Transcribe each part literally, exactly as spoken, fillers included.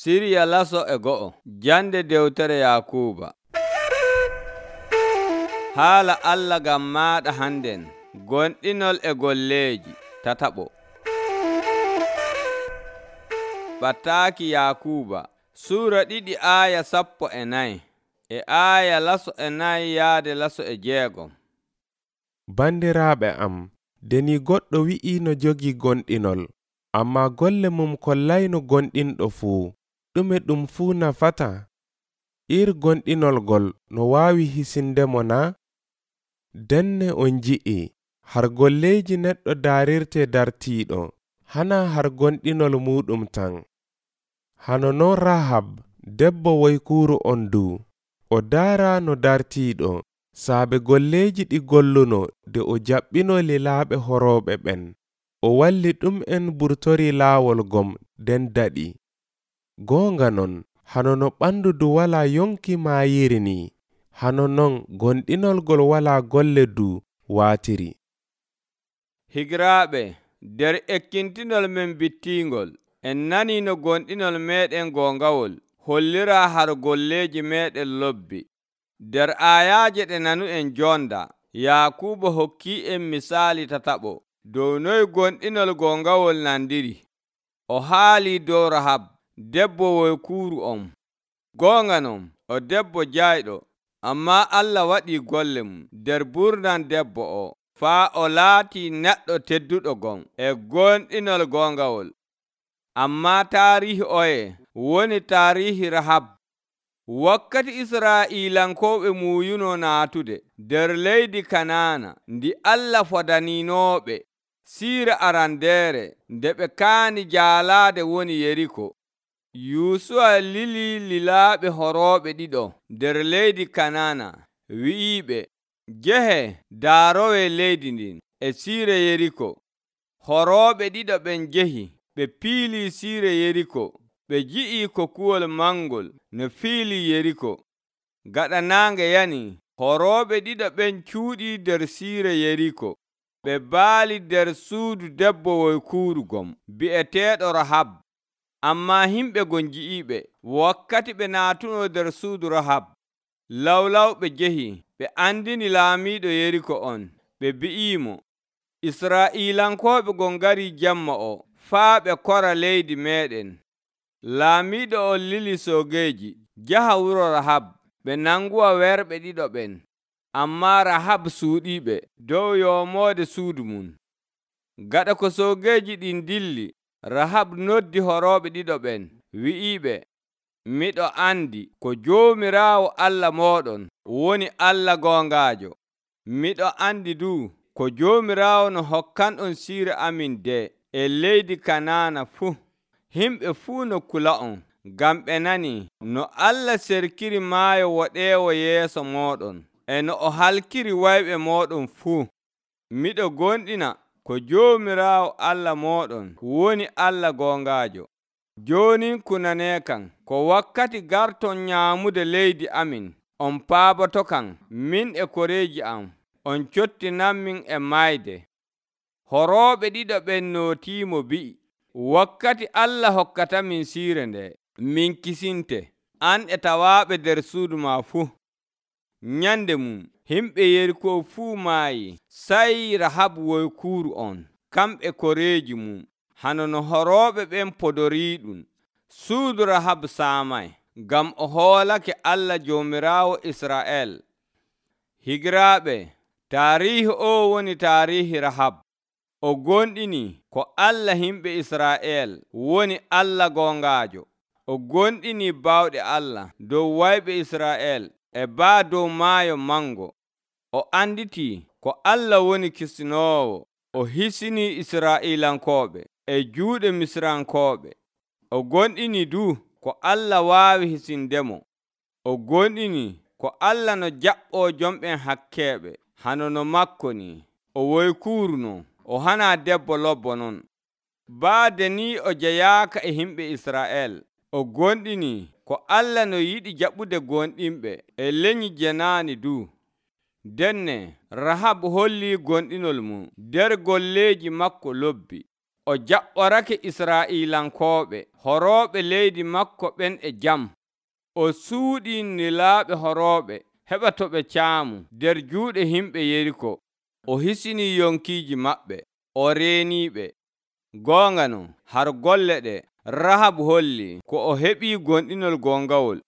Siriya laso e go'o. Jande dewtere Yakuuba. Haala Allah ngam maaɗa hannden, gonɗinol e golleeji. Tataɓo. Ɓattaaki Yakuuba. Suura ɗiɗi aaya sappo e nayi. E aaya laso e nayi yaade laso e jeegom. Bandiraaɓe am, deni goɗɗo wi'i no jogi gonɗinol, ammaa golle mum kollayno gonɗinɗo fuu. Ɗume ɗum fuu nafata? Ir gonɗinol gol no waawi hisindemo na? Denne on nji'i, har golleeji neɗɗo daarirte dartiiɗo, hana har gonɗinol muɗum tan. Hano non Rahab, debbo woykuuru on du, o daara no dartiiɗo, saabe golleeji ɗi golluno de o jaɓɓino lilaaɓe horooɓe ɓen. O walli ɗum en burtori laawol gom den daɗi. Goonga non, hano no ɓandu du wala yonki maayiri ni, hano non gonɗinol gol wala golle du waatiri. Higiraaɓe, nder ekkintinol men bittiingol, en nani no gonɗinol meɗen goongawol hollira har golleeji meɗen lobbi. Nder aayaaje ɗe nanu en jonda, Yakuuba hokki en misaali tataɓo dow noy gonɗinol goongawol nandiri. O haali dow Rahab, debbo woykuuru on. Goonga non, o debbo jayɗo, amma Allah waɗi golle mum nder burnan debbo o, faa o laati neɗɗo tedduɗo gon e gonɗinol goongawol. Amma taarihi oye woni taarihi Rahab. Wakkati Israa'iilankooɓe muuyuno naatude nder leydi Kanaana ndi Allah fodaninooɓe, siira arandeere nde ɓe kaani jaalaade woni Yeriko. Yuusuwa lili lilaaɓe horooɓe ɗiɗo nder leydi Kanaana, wi'iiɓe, jehe daarowe leydi ndin e siire Yeriko. Horooɓe ɗiɗo ɓen jehi, ɓe piili siire Yeriko, ɓe ji'i kokuwol mangol no fiili Yeriko. Gaɗa naange yani, horooɓe ɗiɗo ɓen cuuɗi nder siire Yeriko. Ɓe baali nder suudu debbo woykuuru gom bi'eteeɗo Rahab. Amma himɓe gon ji'iɓe wakkati ɓe naatuno nder suudu Rahab. Lawlaw ɓe jehi, ɓe andini laamiiɗo Yeriko on, ɓe bi'imo, Israa'iilankooɓe gon ngari jamma o, faa ɓe kora leydi meɗen. Laamiiɗo on lili soogeeji, jaha wuro Rahab, ɓe nanguwa werɓe ɗiɗo ɓen. Amma Rahab suuɗiiɓe dow yoomoode suudu mum. Gaɗa ko soogeeji ɗin dilli, Rahab noddi horooɓe ɗiɗo ɓen, wi'iɓe, miɗo andi ko Joomiraawo Allah mooɗon woni Allah goongaajo. Miɗo andi du ko Joomiraawo no hokkan'on siire amin de e leydi Kanaana fuu. Himɓe fuu no kula on, ngam ɓe nani no Allah serkiri maayo woɗeewo yeeso mooɗon, e no o halkiri wayɓe mooɗon fuu. Miɗo gonɗina ko Joomiraawo Allah mooɗon woni Allah goongaajo. Jooni kunanee kan, ko wakkati garton nyaamude leydi amin, on paaboto kan, min e koreeji am, on cottinanmin e mayde. Horooɓe ɗiɗo ɓen nootiimo bi'i, wakkati Allah hokkatamin siire nde, min kisinte, an e tawaaɓe nder suudu ma fuu. Nyande mum, himɓe Yeriko fuu maayi, sai Rahab woykuuru on, kamɓe koreeji mum, hano no horooɓe ɓen podoriiɗum. Suudu Rahab saamay, ngam o hoolake Allah Joomiraawo Isra'el. Higiraaɓe, taarihi o woni taarihi Rahab. O gonɗini ko Allah himɓe Isra'el woni Allah goongaajo. O gonɗini baawɗe Allah dow wayɓe Isra'el e baa dow maayo mango. O anditi ko Allah woni kisnoowo. O hisini Israa'iilankooɓe e juuɗe Misrankooɓe. O gonɗini du ko Allah waawi hisindemo. O gonɗini ko Allah no jaɓɓoo jomɓen hakkeeɓe, hano no makko ni. O woykuuruno, o hana debbo lobbo non. Baade ni o jeyaaka e himɓe Isra'el. O gonɗini ko Allah no yiɗi jaɓude gonɗinɓe e leñi jenaani du. Denne Rahab holli gonɗinol mum nder golleeji makko lobbi. o jaɓɓorake Israa'iilankooɓe horooɓe leydi makko ɓen e jam. O suuɗii nilaaɓe horooɓe heɓa to ɓe caamu nder juuɗe himɓe Yeriko. O hisinii yonkiiji maɓɓe, o reeniiɓe. Goonga non, har golle ɗe Rahab holli ko o heɓii gonɗinol gongawol.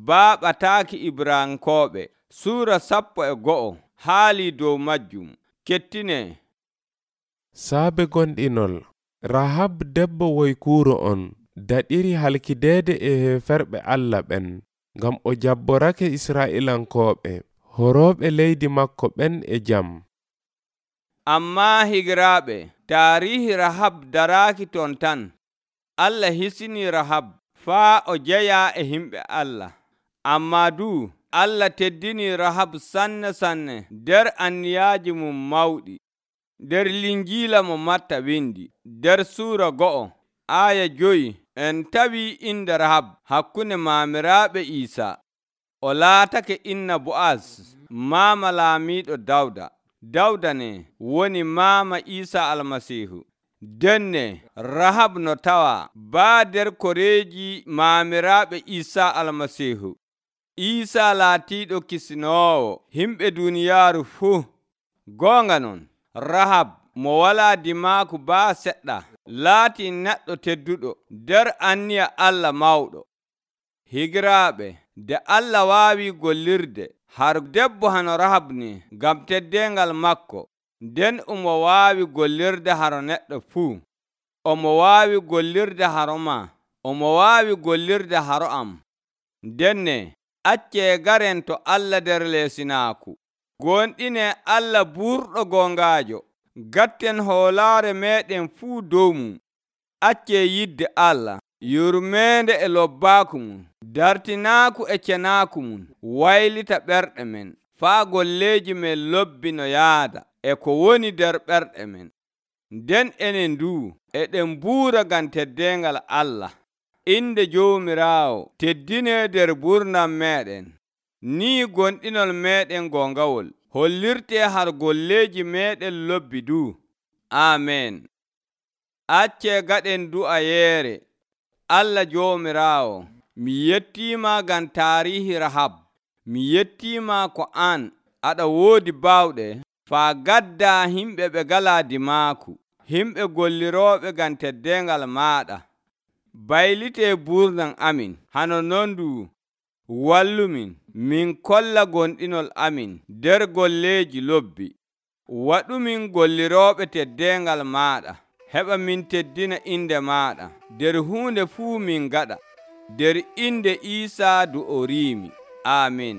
Baaɓataaki Ibrankooɓe Suura sappo e go'o haalii dow majjum. Kettinee. Saabe gonɗinol. Rahab debbo woykuuro on daɗiri halkideede e heeferɓe Allah ɓen ngam o jabborake Israa'ilankooɓe horooɓe leydi makko ɓen e jam. Ammaa higiraaɓe, taariihi Rahab daraaki ton tan. Allah hisinii Rahab faa o jeyaa e himɓe Allah. Ammaa duu Allah teddinii Rahab sanne sanne nder anniyaaji mum mawɗi. Nder Linjiila mo Matta windi nder suura go'o aaya joyi en tawii inde Rahab hakkunde maamiraaɓe Iisaa. O laatake inna Bo'as, maama laamiiɗo Dawda. Dawda ne woni maama Iisaa Almasiihu. Denne Rahab no tawa baa nder koreeji maamiraaɓe Iisaa Almasiihu. Iisaa laatiiɗo kisinoowo himɓe duuniyaaru fuu. Goonga non, Rahab mo walaa dimaaku baa seɗɗa laatii neɗɗo tedduɗo nder anniya Allah mawɗo. Higiraaɓe, nde Allah waawi gollirde har debbo hano Rahab ni ngam teddeengal makko, nden omo waawi gollirde haro neɗɗo fuu. Omo waawi gollirde haro ma, omo waawi gollirde haro am. Ndenne accee garen to Allah nder leesinaaku. Gonɗinee Allah burɗo gongaajo. Gatten hoolaare meeɗen fuu dow mum. Accee yidde Allah. Yurmeende e lobbaaku mum, dartinaaku e cenaaku mum waylita ɓerɗe men, faa golleeji men lobbi no yaada e ko woni nder ɓerɗe men. Nden enen nduu eɗen buura ngam teddeengal Allah. Inde Joomiraawo teddinee nder burnam meeɗen. Nii gonɗinol meeɗen gongawol hollirtee har golleeji meeɗen lobbi duu. Aamen. Accee gaɗen du'a yeere. Allah Joomiraawo, mi yettiima ngam taariihi Rahab. Mi yettiima ko an aɗa woodi baawɗe faa gaddaa himɓe ɓe ngalaa dimaaku, himɓe gollirooɓe ngam teddeengal maaɗa. Baylitee buurnam amin, hano non ndu wallumin min kolla gonɗinol amin nder golleeji lobbi. Waɗumin gollirooɓe teddeengal maaɗa, heɓa min teddina inde maaɗa nder huunde fuu min gaɗa. Nder inde Iisaa du o riimi. Aamin.